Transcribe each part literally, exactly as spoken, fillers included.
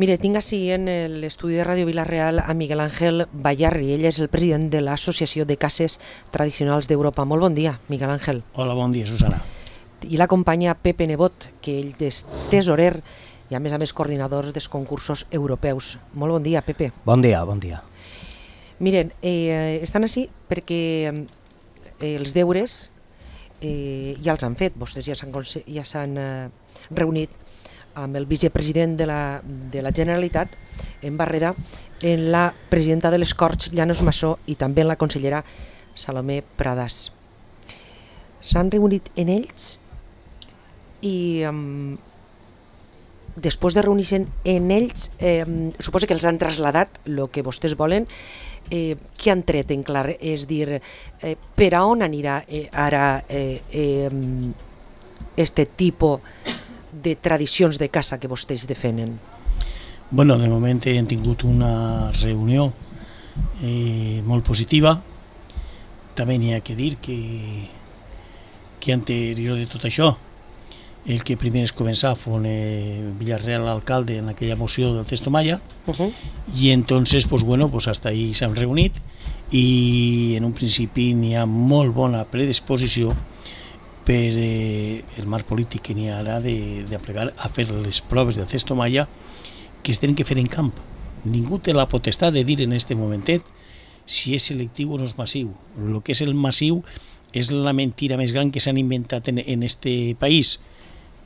Mire, tinc així en l'estudi de Ràdio Vila-real a Miguel Ángel Bayarri. Ell és el president de l'Associació de Cases Tradicionals d'Europa. Molt bon dia, Miguel Ángel. Hola, bon dia, Susana. I l'acompanya Pepe Nebot, que ell és tesorer i a més a més coordinador dels concursos europeus. Molt bon dia, Pepe. Bon dia, bon dia. Miren, eh, estan així perquè eh, els deures eh, ja els han fet. Vostès ja s'han ja s'han eh, reunit amb el vicepresident de la, de la Generalitat en Barreda, en la presidenta de les Corts, Llanos Massó, i també en la consellera Salomé Pradàs. S'han reunit en ells i um, després de reunir-se en ells, eh, suposo que els han traslladat el que vostès volen. Eh, què han tret en clar? És dir, eh, per a on anirà eh, ara eh, eh, este tipus de tradicions de casa que vostès defenen? Bueno, de moment hem tingut una reunió eh, molt positiva. També n'hi ha que dir que, que anterior de tot això, el que primer es començar fue eh, Villarreal alcalde en aquella moció del Cesto Maya, uh-huh. Y entonces, pues bueno, pues hasta ahí s'han reunit i en un principi n'hi ha molt bona predisposició per eh, el marc polític que n'hi ha ara d'aplegar a fer les proves del Cesto Maya que es tenen que fer en camp. Ningú té la potestat de dir en aquest momentet si és selectiu o no és massiu. El que és el massiu és la mentira més gran que s'han inventat en, en este país,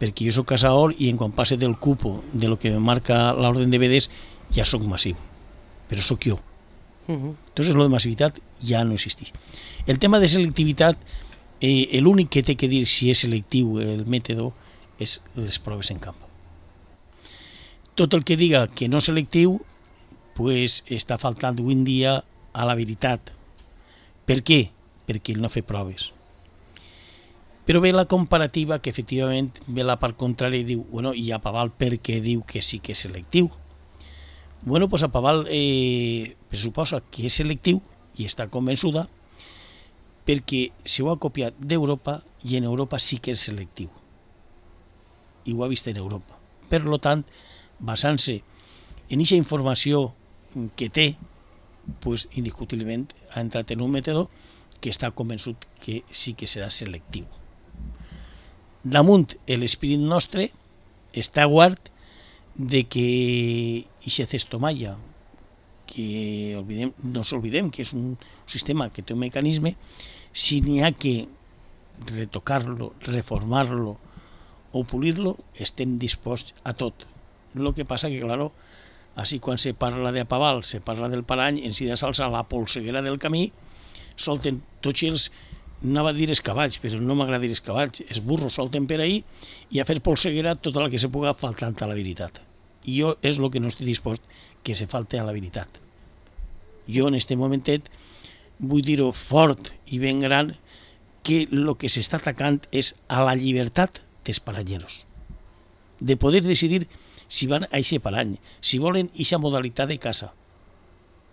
perquè jo soc caçador i en quan passe del cupo de lo que marca l'ordre de vedes ja soc massiu, però soc jo. Uh-huh. Entonces lo de massivitat ja no existeix. El tema de selectivitat, Eh, l'únic que té que dir si és selectiu el mètode és les proves en camp. Tot el que diga que no és selectiu pues, està faltant avui en dia a la veritat. Per què? Perquè ell no fa proves. Però ve la comparativa que efectivament ve la part contrària i diu, bueno, i a Paval per què diu que sí que és selectiu? Bueno, pues a Paval eh, pressuposa que és selectiu i està convençuda perquè se ho ha copiat d'Europa i en Europa sí que és selectiu. I ho ha vist en Europa. Per tant, basant-se en aquesta informació que té, pues, indiscutiblement ha entrat en un mètode que està convençut que sí que serà selectiu. Damunt l'esperit nostre està guard de que aquest Cesto Maya, que oblidem, no s'oblidem que és un sistema que té un mecanisme, si n'hi ha que retocar-lo, reformar-lo o pulir-lo, estem disposats a tot. El que passa que, claro, així quan se parla de Paval, se parla del Parany, en si de salsa la polseguera del camí, solten tots els, anava a dir els cavalls, però no m'agrada dir els cavalls, els burros solten per ahí i a fer polseguera tota la que se puga faltant a la veritat. I jo és el que no estic dispost que se falte a la veritat. Jo en aquest momentet vull dir-ho fort i ben gran que el que s'està atacant és a la llibertat dels paranyeros, de poder decidir si van a aquest parany, si volen aquesta modalitat de casa,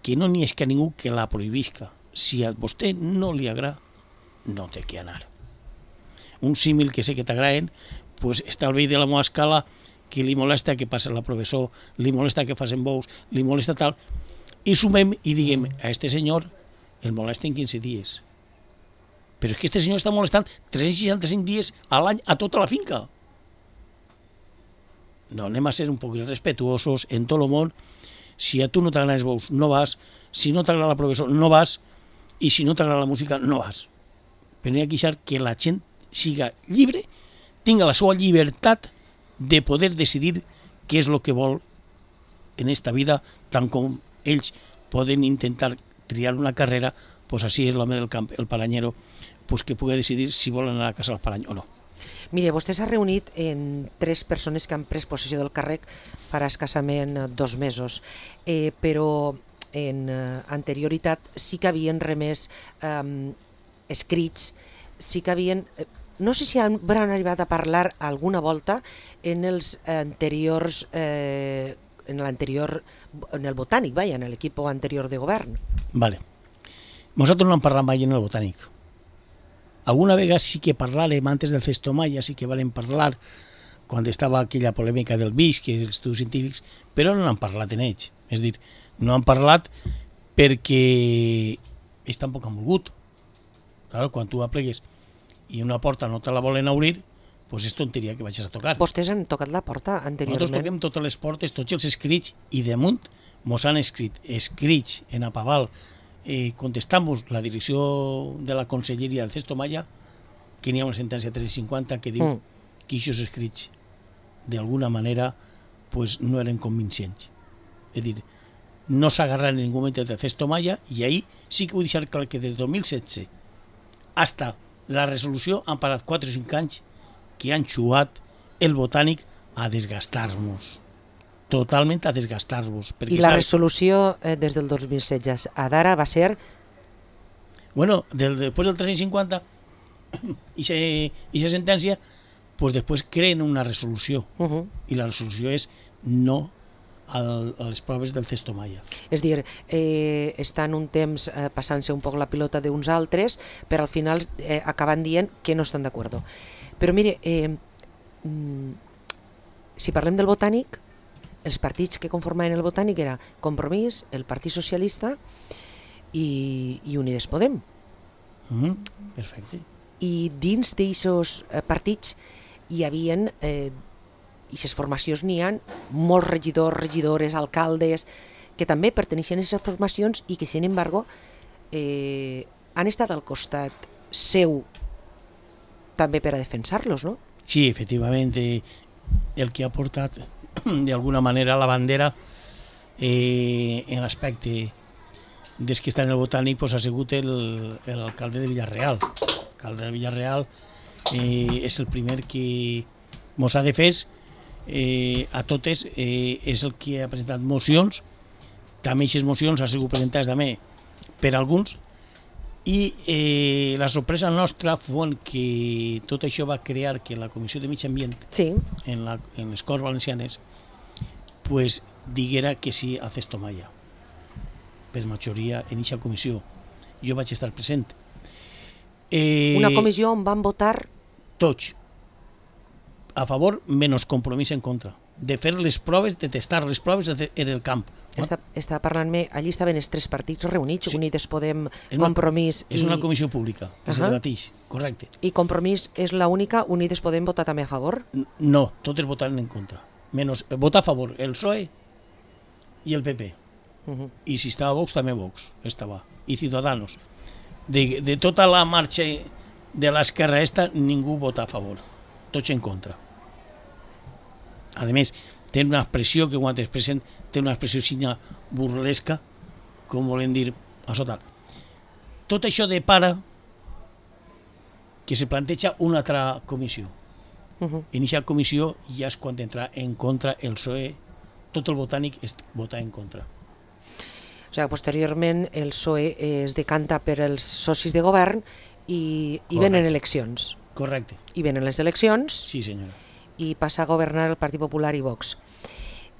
que no n'hi és que ningú que la prohibisca. Si a vostè no li agrada, no té que anar. Un símil que sé que t'agraden, pues està al vell de la meva escala que li molesta que passi la professor, li molesta que facin bous, li molesta tal, i sumem i diguem a este senyor el molesten quinze dies. Però és que este senyor està molestant tres-cents seixanta-cinc dies a l'any a tota la finca. No, anem a ser un poc respetuosos en tot el món. Si a tu no t'agraden els bous, no vas. Si no t'agrada la professor, no vas. I si no t'agrada la música, no vas. Però n'hi ha que deixar que la gent siga lliure, tinga la seva llibertat de poder decidir què és el que vol en esta vida, tant com ells poden intentar triar una carrera, pues així és l'home del camp, el paranyero, pues que pugui decidir si vol anar a casa al parany o no. Mire, vostè s'ha reunit en tres persones que han pres possessió del càrrec farà escassament dos mesos, eh, però en eh, anterioritat sí que havien remès eh, escrits, sí que havien... Eh, no sé si han arribat a parlar alguna volta en els anteriors... Eh, en l'anterior, en el botànic, vaja, en l'equip anterior de govern. Vale. Nosaltres no hem parlat mai en el botànic. Alguna vegada sí que parlàvem, antes del Cesto Maya, sí que valem parlar quan estava aquella polèmica del B I S, que els estudis científics, però no n'han parlat en ells. És a dir, no han parlat perquè ells tampoc han volgut. Claro, quan tu aplegues i una porta no te la volen obrir, pues és tonteria que vagis a tocar. Vostès han tocat la porta anteriorment? Nosaltres toquem totes les portes, tots els escrits, i damunt mos han escrit escrits en Apaval, eh, contestant-vos la direcció de la Conselleria del Cesto Maya, que n'hi ha una sentència tres cinquanta que diu mm. que aquests escrits d'alguna manera pues, no eren convincents. És a dir, no s'agarran en ningú moment del Cesto Maya, i ahir sí que vull deixar clar que des del dos mil setze hasta la resolució han parat quatre o cinc anys que han xuat el botànic a desgastar-nos. Totalment a desgastar-vos. I la saps... resolució eh, des del dos mil setze a d'ara va ser? Bueno, del, després del tres cinquanta i aquesta sentència, pues després creen una resolució. Uh -huh. I la resolució és no al, a les proves del Cesto Maya. És dir, eh, estan un temps eh, passant-se un poc la pilota d'uns altres, però al final eh, acaben dient que no estan d'acord. Però mire, eh, si parlem del botànic, els partits que conformaven el botànic era Compromís, el Partit Socialista i, i Unides Podem. Mm, perfecte. I dins d'aquests eh, partits hi havia... Eh, i les formacions n'hi ha molts regidors, regidores, alcaldes, que també perteneixen a aquestes formacions i que, sin embargo, eh, han estat al costat seu també per a defensar-los, no? Sí, efectivament, eh, el que ha portat d'alguna manera la bandera eh, en l'aspecte des que està en el botànic pues, ha sigut l'alcalde de Villarreal. L'alcalde de Villarreal eh, és el primer que mos ha defès Eh, a totes, eh, és el que ha presentat mocions. També aquestes mocions han sigut presentades també per alguns, i eh, la sorpresa nostra fou que tot això va crear que la Comissió de Mig Ambient sí. en, la, en les Corts Valencianes pues, diguera que sí a Cesto Maya per majoria en aquesta comissió. Jo vaig estar present. Eh, una comissió on van votar tots a favor, menys Compromís en contra, de fer les proves, de testar les proves en el camp. Està, està parlant-me, allí estaven els tres partits reunits, sí. Unides Podem, és una, Compromís... És i... una comissió pública, que uh -huh. se debateix, correcte. I Compromís és l'única, Unides Podem votar també a favor? No, totes votaren en contra. Menys, votar a favor el P S O E i el P P. Uh -huh. I si estava Vox, també Vox estava. I Ciudadanos. De, de tota la marxa de l'esquerra esta, ningú vota a favor. Tots en contra. A més, té una expressió que quan expressen té una expressió signa burlesca, com volen dir a sota. Tot això depara que se planteja una altra comissió. Uh -huh. En aquesta comissió ja és quan entra en contra el P S O E, tot el botànic es vota en contra. O sigui, posteriorment el P S O E es decanta per els socis de govern i, i venen eleccions. Correcte. I venen les eleccions. Sí, senyora. I passa a governar el Partit Popular i Vox.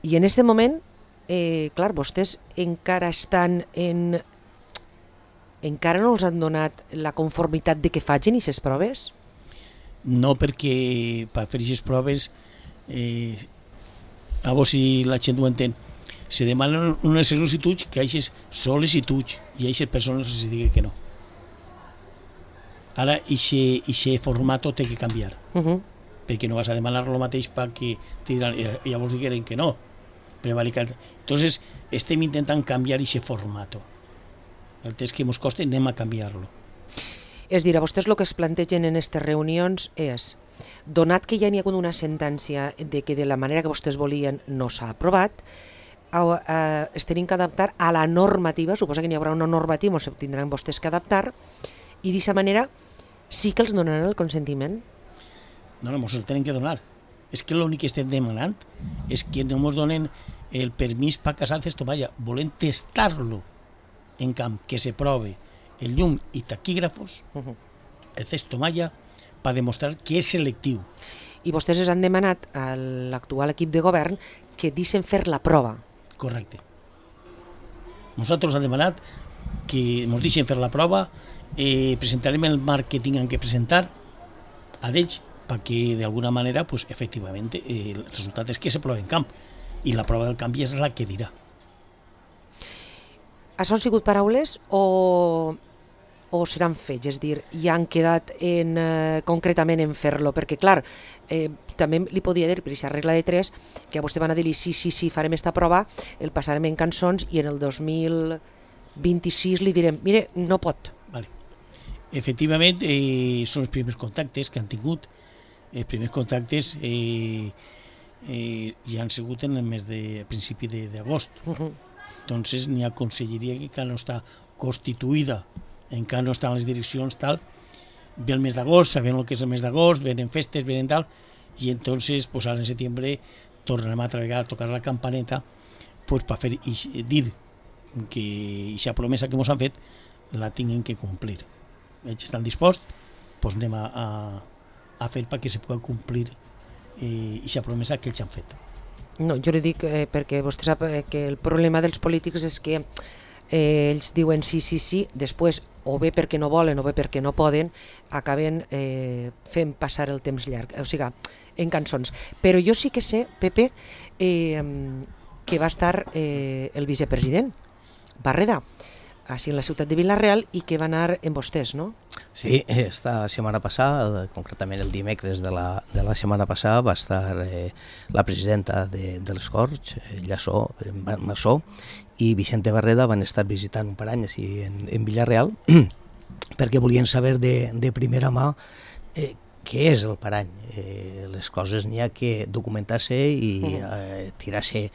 I en aquest moment, eh, clar, vostès encara estan en... encara no els han donat la conformitat de que facin aquestes proves? No, perquè per fer aquestes proves, eh, a veure si la gent ho entén, se demanen unes sol·licituds que aquestes sol·licituds i a aquestes persones se digui que no. Ara, aquest format té que canviar. Uh -huh. Perquè no vas a demanar el mateix perquè te diran, llavors digueren que no. Prevaricar. Entonces, estem intentant canviar aquest format. El temps que ens costa anem a canviar-lo. És dir, a vostès el que es plantegen en aquestes reunions és, donat que ja n'hi ha hagut una sentència de que de la manera que vostès volien no s'ha aprovat, es tenen que adaptar a la normativa, suposa que n'hi haurà una normativa, o tindran vostès que adaptar, i d'aquesta manera sí que els donaran el consentiment? No, no, ens el tenen que donar. És que l'únic que estem demanant és que no ens donen el permís per casar el Cesto Maya. Volem testar-lo en camp, que se prove el llum i taquígrafos, uh -huh. el Cesto Maya, per demostrar que és selectiu. I vostès es han demanat a l'actual equip de govern que deixen fer la prova. Correcte. Nosaltres hem demanat que ens deixen fer la prova, eh, presentarem el marc que tinguin que presentar a d'ells perquè d'alguna manera, pues, efectivament, eh, el resultat és que se prova en camp, i la prova del camp és la que dirà. Això han sigut paraules o, o seran fets? És dir, ja han quedat en, eh, concretament en fer-lo? Perquè, clar, eh, també li podia dir, per aquesta regla de tres, que a vostè van a dir-li sí, sí, sí, farem esta prova, el passarem en cançons i en el dos mil vint-i-sis li direm, mire, no pot. Vale. Efectivament, eh, són els primers contactes que han tingut. Els primers contactes eh, eh, ja han sigut en el mes de a principi d'agost. Uh -huh. Entonces, n'hi ha conselleria que encara no està constituïda, encara no estan les direccions, tal. Ve el mes d'agost, sabem el que és el mes d'agost, venen festes, venen tal, i entonces, pues, ara en setembre tornarem a treballar, a tocar la campaneta, pues, per fer i dir que aquesta promesa que ens han fet la tinguin que complir. Ells estan disposats, pues anem a, a, a fer perquè se pugui complir aquesta eh, promesa que ells han fet. No, jo li dic eh, perquè vostè sap eh, que el problema dels polítics és que eh, ells diuen sí, sí, sí, després o bé perquè no volen o bé perquè no poden, acaben eh, fent passar el temps llarg, o sigui, en cançons. Però jo sí que sé, Pepe, eh, que va estar eh, el vicepresident Barreda, així en la ciutat de Vila-real, i que va anar amb vostès, no? Sí, esta setmana passada, concretament el dimecres de la, de la setmana passada, va estar eh, la presidenta de, de les Corts, eh, Llaçó, Massó, i Vicente Barreda van estar visitant un parany així en, en Vila-real, perquè volien saber de, de primera mà eh, què és el parany. Eh, les coses n'hi ha que documentar-se i eh, tirar-se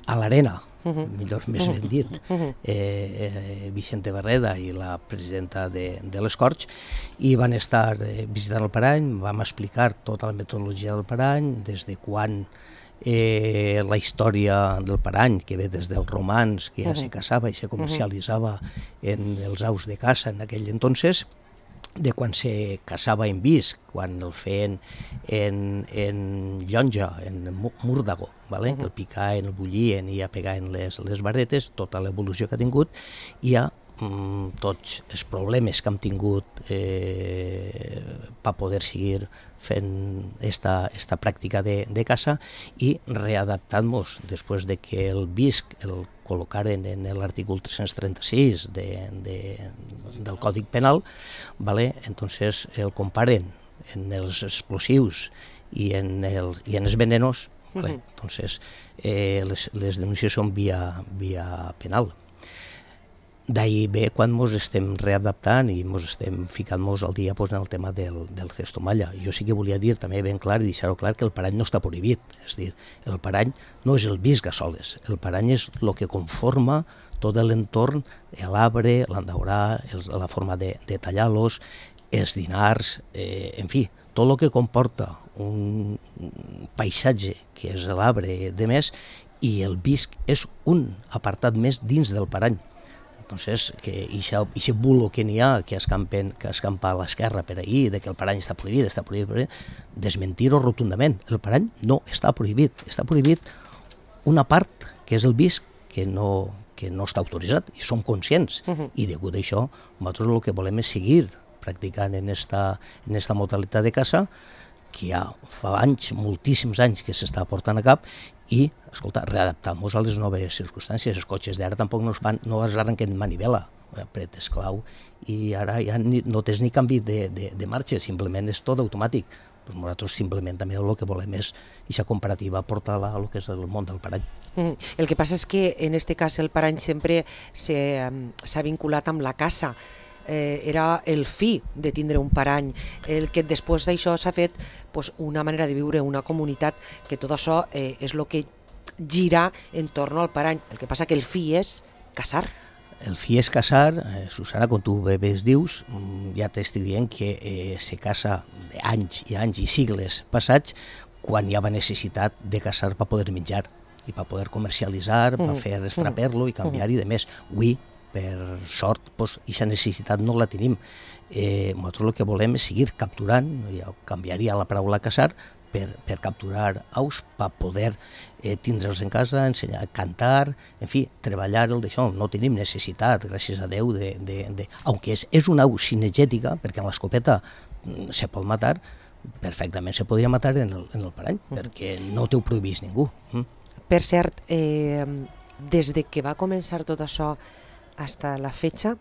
a l'arena, uh-huh. millor més ben dit. Uh-huh. eh, eh, Vicente Barreda i la presidenta de, de les Corts, i van estar eh, visitant el parany, vam explicar tota la metodologia del parany, des de quan eh, la història del parany, que ve des dels romans, que ja uh-huh. se caçava i se comercialitzava uh-huh. en els aus de caça en aquell entonces, de quan se caçava en visc, quan el feien en, en llonja, en múrdago, vale? Uh-huh. que el picaven, el bullien i ja pegaven les, les varetes, tota l'evolució que ha tingut, i ja mm, tots els problemes que hem tingut eh, per poder seguir fent esta, esta pràctica de, de caça i readaptant-nos després de que el visc el col·locaren en l'article tres-cents trenta-sis de, de, del Còdic Penal, vale? Entonces el comparen en els explosius i en els, i en els venenos, vale? Uh-huh. Entonces eh, les, les denúncies són via, via penal. D'ahir ve quan ens estem readaptant i ens estem ficant-nos al dia pues, en el tema del, del cestomalla. Jo sí que volia dir també ben clar i deixar-ho clar que el parany no està prohibit. És dir, el parany no és el visc a soles, el parany és el que conforma tot l'entorn, l'arbre, l'endaurar, la forma de, de tallar-los, els dinars, eh, en fi, tot el que comporta un paisatge que és l'arbre de més, i el visc és un apartat més dins del parany. Entonces, que aquest bulo que n'hi ha, que escampen, que escampa a l'esquerra per ahir, de que el parany està prohibit, està prohibit, desmentir-ho rotundament. El parany no està prohibit. Està prohibit una part, que és el visc, que no, que no està autoritzat, i som conscients. Uh-huh. I degut a això, nosaltres el que volem és seguir practicant en esta, en esta modalitat de caça, que ja fa anys, moltíssims anys que s'està portant a cap, i, escolta, readaptar-nos a les noves circumstàncies. Els cotxes d'ara tampoc no es, fan, no es arrenquen manivela, apretes clau, i ara ja ni, no tens ni canvi de, de, de marxa, simplement és tot automàtic. Pues nosaltres simplement també el que volem és aquesta comparativa portar-la a lo que és el món del parany. Mm. El que passa és que en aquest cas el parany sempre s'ha vinculat amb la caça. Eh, era el fi de tindre un parany, el que després d'això s'ha fet pues, una manera de viure, una comunitat, que tot això eh, és el que gira en torno al parany. El que passa que el fi és caçar. El fi és caçar, eh, Susana, quan tu bé dius, ja t'estic dient que eh, se caça anys i anys i sigles passats quan hi havia necessitat de caçar per poder menjar i per poder comercialitzar, per mm. fer estraper-lo i canviar-hi, mm. de més. Avui, per sort, aquesta necessitat no la tenim. Eh, nosaltres el que volem és seguir capturant, ja canviaria la paraula caçar, per, per capturar aus, per poder eh, tindre'ls en casa, ensenyar a cantar, en fi, treballar el d'això. No tenim necessitat, gràcies a Déu, de... de, de aunque és, és una au cinegètica, perquè en l'escopeta se pot matar, perfectament se podria matar en el, en el parany, mm. perquè no t'ho prohibís ningú. Mm. Per cert, eh, des de que va començar tot això fins a la fetxa,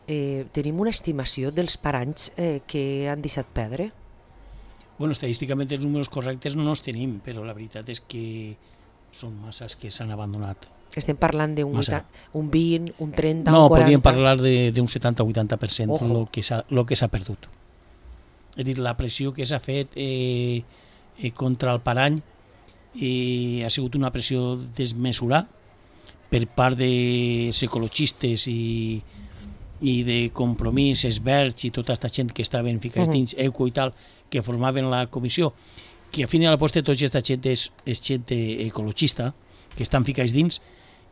eh, tenim una estimació dels paranys eh, que han deixat perdre? Bueno, estadísticament els números correctes no els tenim, però la veritat és que són masses que s'han abandonat. Estem parlant d'un un vint, un trenta, no, un quaranta... No, podríem parlar d'un setanta o vuitanta per cent el que s'ha perdut. És a dir, la pressió que s'ha fet eh, eh, contra el parany eh, ha sigut una pressió desmesurada per part dels ecologistes i, i de Compromís, Esberg i tota aquesta gent que estaven ficats uh-huh. dins, ECO i tal, que formaven la comissió, que a fin i a la posta tota aquesta gent és, és gent ecologista, que estan ficats dins,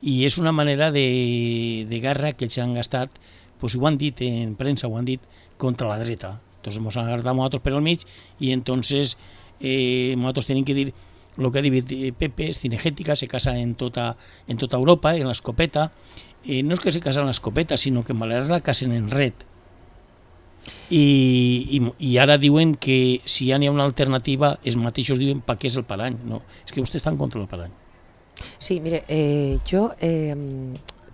i és una manera de, de guerra que ells han gastat, pues, ho han dit en premsa, ho han dit, contra la dreta. Entonces ens han agarrat nosaltres per al mig i entonces eh, nosaltres tenim que dir el que ha dit Pepe, Cinegética, se casa en tota, en tota Europa, en l'escopeta. Eh, no és que se casa en l'escopeta, sinó que en Balears la casen en red. I, i, i ara diuen que si ja n'hi ha una alternativa, els mateixos diuen per què és el parany. No, és que vostès estan contra el parany. Sí, mire, eh, jo eh,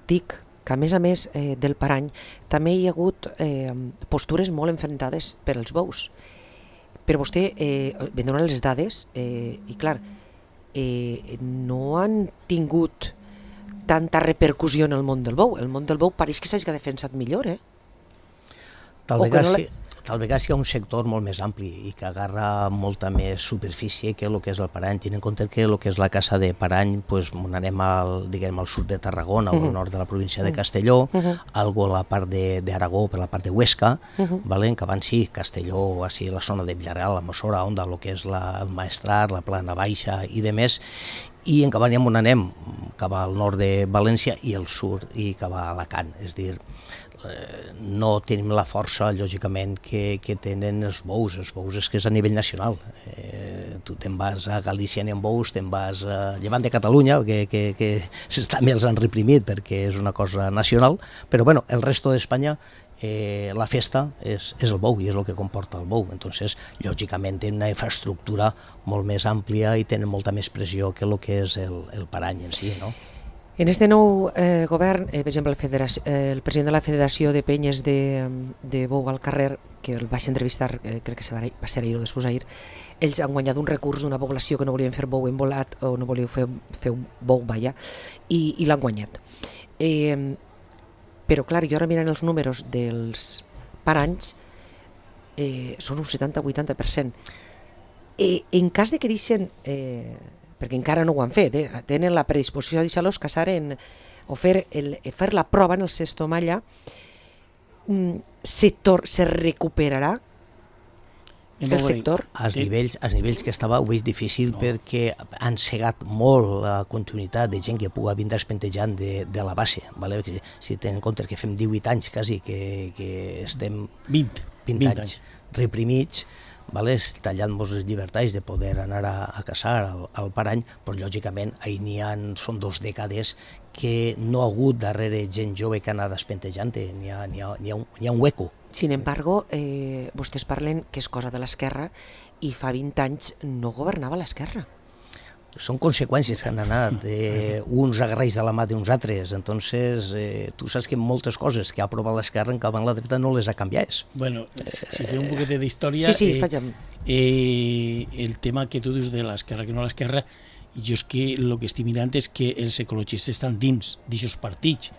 dic que a més a més eh, del parany també hi ha hagut eh, postures molt enfrontades per als bous. Però vostè eh, me dona les dades eh, i clar, eh, no han tingut tanta repercussió en el món del bou. El món del bou pareix que s'hagi defensat millor, eh? Tal vegada, no la... sí, tal vegada hi ha un sector molt més ampli i que agarra molta més superfície que el que és el parany. Tenint en compte que el que és la casa de parany, pues, anem al, diguem, al sud de Tarragona, uh-huh. al nord de la província de Castelló, uh-huh. algo a la part d'Aragó, per la part de Huesca, uh-huh. vale? Que van sí, Castelló, així, la zona de Villarreal, la Mossora, on el que és la, el Maestrat, la Plana Baixa i de més, i en Cabanyam on anem, cap al nord de València i el sud i cap a Alacant, és dir, no tenim la força, lògicament, que, que tenen els bous. Els bous és que és a nivell nacional. Eh, tu te'n vas a Galícia ni amb bous, te'n vas a llevant de Catalunya, que, que, que també els han reprimit perquè és una cosa nacional, però bueno, el resto d'Espanya eh, la festa és, és el bou i és el que comporta el bou. Entonces, lògicament, tenen una infraestructura molt més àmplia i tenen molta més pressió que el que és el, el parany en si, no? En este nou eh, govern, eh, per exemple, el, eh, el president de la Federació de Penyes de, de Bou al Carrer, que el vaig entrevistar, eh, crec que va, va ser ahir o després ahir, ells han guanyat un recurs d'una població que no volien fer bou embolat o no volien fer, fer un bou, vaja, i, i l'han guanyat. Eh, però clar, jo ara mirant els números dels paranys, eh, són un setanta o vuitanta per cent. Eh, en cas de que deixen... Eh, perquè encara no ho han fet, eh? Tenen la predisposició de deixar-los casar en, o fer, el, fer la prova en el Sesto Malla, se, tor, se recuperarà el sector? Als nivells, als nivells que estava ho veig difícil no. perquè han cegat molt la continuïtat de gent que pugui vindre espentejant de, de la base. Vale? Si tenen en compte que fem divuit anys quasi, que, que estem vint, vint, vint anys, anys reprimits, vale, tallant molts les llibertats de poder anar a, a caçar al, al parany, però lògicament ahir n'hi ha, són dos dècades que no ha hagut darrere gent jove que ha anat espentejant, n'hi ha, n'hi ha, n'hi ha, un, n'hi ha un hueco. Sin embargo, eh, vostès parlen que és cosa de l'esquerra i fa vint anys no governava l'esquerra. Són conseqüències que han anat, eh, uns agarreix de la mà d'uns altres, entonces eh, tu saps que moltes coses que ha aprovat l'esquerra en cap en la dreta no les ha canviat. Bueno, si fem un poquet d'història, sí, sí, eh, eh, el tema que tu dius de l'esquerra que no l'esquerra, jo és que el que estic mirant és que els ecologistes estan dins d'aquests partits.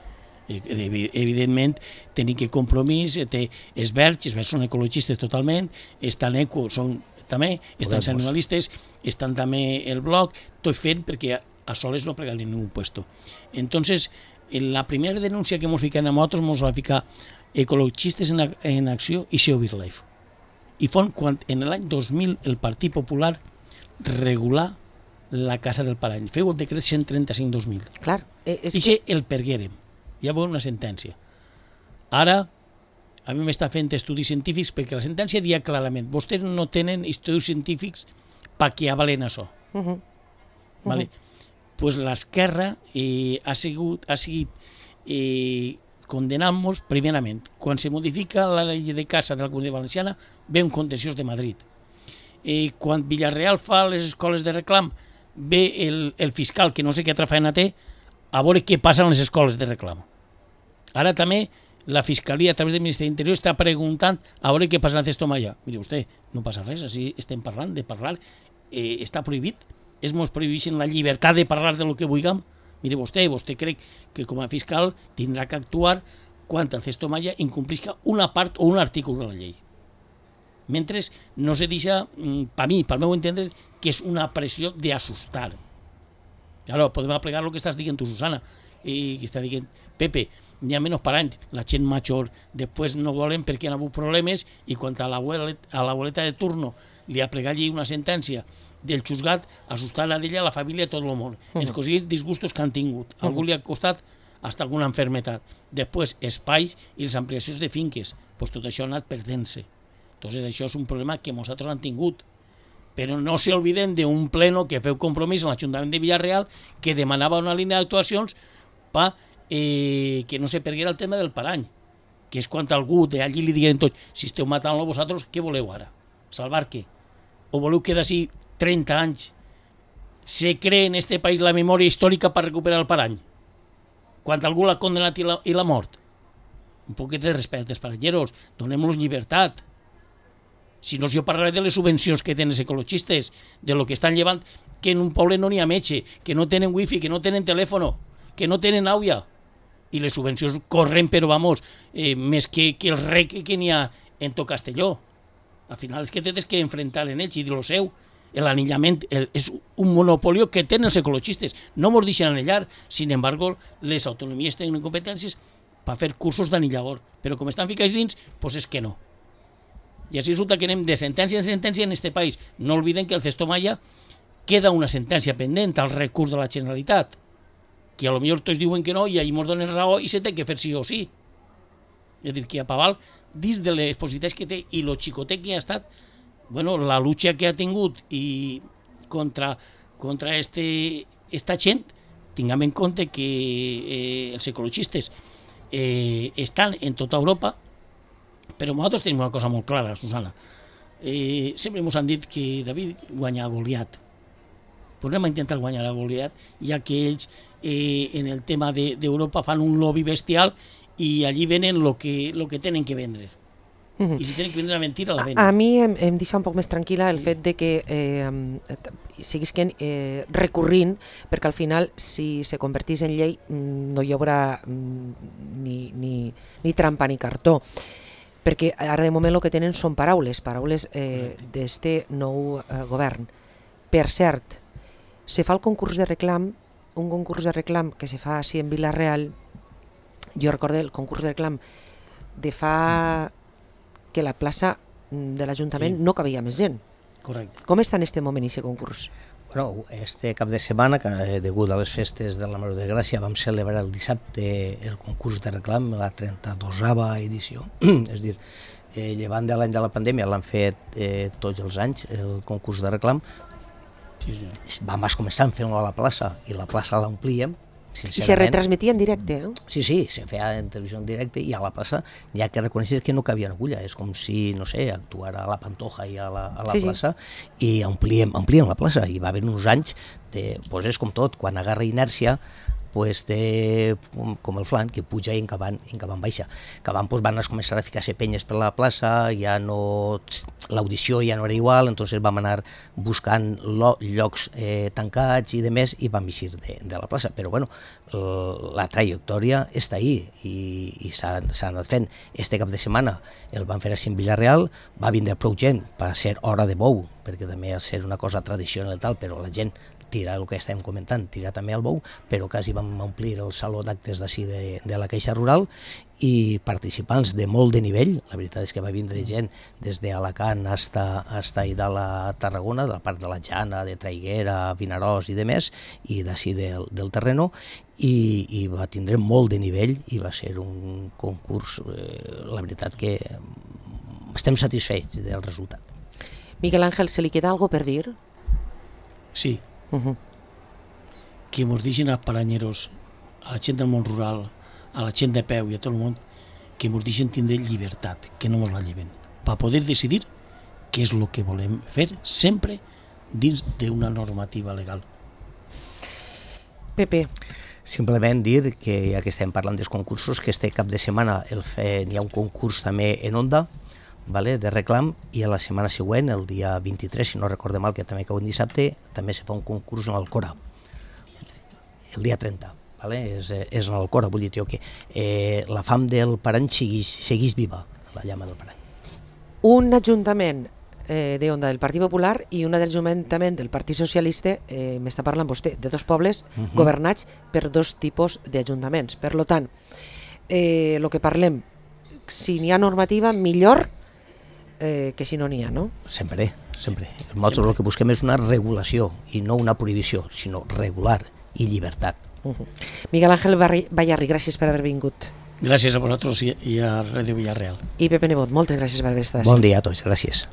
Evidentment, tenim que Compromís, té Esberg, Esberg són ecologistes totalment, estan ECO, són també, estan els animalistes, estan també el Bloc, tot fent perquè a soles no plegar en ningún puesto. Entonces, en la primera denúncia que ens fiquen a nosaltres, ens va ficar ecologistes en, en acció i S E O BirdLife. I fon quan en l'any dos mil el Partit Popular regular la casa del parany. Feu el decret cent trenta-cinc dos mil. Clar. És I que... el perguérem. Ja veurem una sentència. Ara, a mi m'està fent estudis científics perquè la sentència dia clarament vostès no tenen estudis científics perquè avalen això. Uh -huh. Uh-huh. Vale? Pues l'esquerra eh, ha sigut, ha seguit eh, condenant-nos primerament. Quan se modifica la llei de caça de la Comunitat Valenciana ve un contenciós de Madrid eh, quan Villarreal fa les escoles de reclam, ve el, el fiscal, que no sé què altra feina té, a veure què passa en les escoles de reclam. Ara també la Fiscalia, a través del Ministeri d'Interior, està preguntant a veure què passa en el Cestomalla. Mire vostè, no passa res, així estem parlant de parlar, eh, està prohibit, es mos prohibeixen la llibertat de parlar de lo que vulguem. Mire vostè, vostè crec que com a fiscal tindrà que actuar quan el Cestomalla incomplisca una part o un article de la llei. Mentre no se deixa, per mi, pel meu entendre, que és una pressió d'assustar. Claro, podem aplicar el que estàs dient tu, Susana, i que està dient, Pepe, n'hi ha menys paranys, la gent major, després no volen perquè han hagut problemes i quan a l'abueleta de turno li ha plegat una sentència del juzgat, assustar-la d'ella, a la família, a tot el món. Uh -huh. Els cosins disgustos que han tingut. A algú li ha costat hasta alguna enfermetat. Després, espais i les ampliacions de finques. Pues tot això ha anat perdent-se. Entonces, això és un problema que nosaltres han tingut. Però no s'olviden d'un pleno que feu compromís en l'Ajuntament de Villarreal que demanava una línia d'actuacions per eh, que no se perguera el tema del parany, que és quan algú d'allí li diguin tot, si esteu matant-lo vosaltres, què voleu ara? Salvar què? O voleu que d'ací trenta anys se cree en este país la memòria històrica per recuperar el parany? Quan algú l'ha condenat i la, i la mort? Un poquet de respecte als paranyeros, donem-los llibertat. Si no, jo parlaré de les subvencions que tenen els ecologistes, de lo que estan llevant, que en un poble no n'hi ha metge, que no tenen wifi, que no tenen telèfon, que no tenen àuia. I les subvencions corren, però vamos, eh, més que, que el rec que n'hi ha en tot Castelló. Al final és que tens que enfrentar en ells i dir-lo seu. L'anillament és un monopoli que tenen els ecologistes. No mos deixen anellar, sin embargo, les autonomies tenen competències per fer cursos d'anillador. Però com estan ficats dins, doncs és que no. I així resulta que anem de sentència en sentència en este país. No olviden que el Cestomalla queda una sentència pendent al recurs de la Generalitat, que a lo millor tots diuen que no i ahir ens donen raó i se té que fer sí o sí. És a dir, que a Paval, dins de les possibilitats que té i lo xicotet que ha estat, bueno, la lucha que ha tingut i contra, contra este, esta gent, tinguem en compte que eh, els ecologistes eh, estan en tota Europa. Però nosaltres tenim una cosa molt clara, Susana. Eh, sempre ens han dit que David guanya a Goliat. Pues anem a intentar guanyar a Goliat, ja que ells eh, en el tema d'Europa de, fan un lobby bestial i allí venen el que, lo que tenen que vendre. Uh -huh. I si tenen que vendre la mentira, la venen. A, a mi em, em deixa un poc més tranquil·la el fet de que eh, siguisquen eh, recurrint, perquè al final, si se convertís en llei, no hi haurà ni, ni, ni trampa ni cartó. Perquè ara de moment el que tenen són paraules, paraules eh, d'este nou eh, govern. Per cert, se fa el concurs de reclam, un concurs de reclam que se fa així en Vila-real. Jo recordo el concurs de reclam de fa que la plaça de l'Ajuntament sí. no cabia més gent. Correcte. Com està en este moment aquest concurs? Bueno, este cap de setmana, que degut a les festes de la Mare de Gràcia, vam celebrar el dissabte el concurs de reclam, la trenta-dosava edició. És a dir, eh, llevant de l'any de la pandèmia l'han fet eh, tots els anys, el concurs de reclam. Sí, sí. Vam començar fent-lo a la plaça i la plaça l'omplíem. I se retransmetia en directe, eh? Sí, sí, se feia en televisió en directe i a la plaça n'hi ha que reconèixer que no cabia agulla. És com si, no sé, actuara a la Pantoja i a la, a la sí, plaça sí. i omplíem, omplíem la plaça. I va haver uns anys, de, pues és com tot, quan agarra inèrcia, pues té com el flan, que puja i en cabant, en cabant baixa. Cabant pues, van començar a ficar-se penyes per la plaça, ja no, l'audició ja no era igual, entonces vam anar buscant lo, llocs eh, tancats i de més i vam eixir de, de la plaça. Però bueno, la trajectòria està ahí i, i s'ha anat fent. Este cap de setmana el van fer així en Villarreal, va vindre prou gent per ser hora de bou, perquè també ha de ser una cosa tradicional i tal, però la gent tira el que estem comentant, tira també el bou, però quasi vam omplir el saló d'actes d'ací de, de la Caixa Rural i participants de molt de nivell. La veritat és que va vindre gent des d'Alacant hasta, hasta i de la Tarragona, de la part de la Jana, de Traiguera, Vinaròs i de més, i d'ací del, del terreno, i, i va tindre molt de nivell i va ser un concurs, eh, la veritat que estem satisfets del resultat. Miguel Ángel, ¿se li queda algo per dir? Sí. Uh-huh. Que ens deixin als paranyeros, a la gent del món rural, a la gent de peu i a tot el món, que ens deixin tindre llibertat, que no ens la lleven, per poder decidir que és el que volem fer, sempre dins d'una normativa legal. Pepe. Simplement dir que, ja que estem parlant dels concursos, que este cap de setmana el fe, hi ha un concurs també en Onda, vale, de reclam, i a la setmana següent, el dia vint-i-tres, si no recorde mal, que també cau un dissabte, també se fa un concurs en l'Alcora, el dia trenta. Vale? És, és en l'Alcora, vull dir que eh, la fam del parany segueix, segueix viva, la llama del parany. Un ajuntament eh, d'Onda del Partit Popular i un ajuntament del Partit Socialista, eh, m'està parlant vostè, de dos pobles uh -huh. governats per dos tipus d'ajuntaments. Per tant, eh, el que parlem, si n'hi ha normativa, millor eh, que si no n'hi ha, no? Sempre, sempre. Nosaltres el que busquem és una regulació i no una prohibició, sinó regular i llibertat. Uh -huh. Miguel Ángel Ballarri, gràcies per haver vingut. Gràcies a vosaltres i a Ràdio Villarreal. I Pepe Nebot, moltes gràcies per haver estat així. Bon dia a tots, gràcies.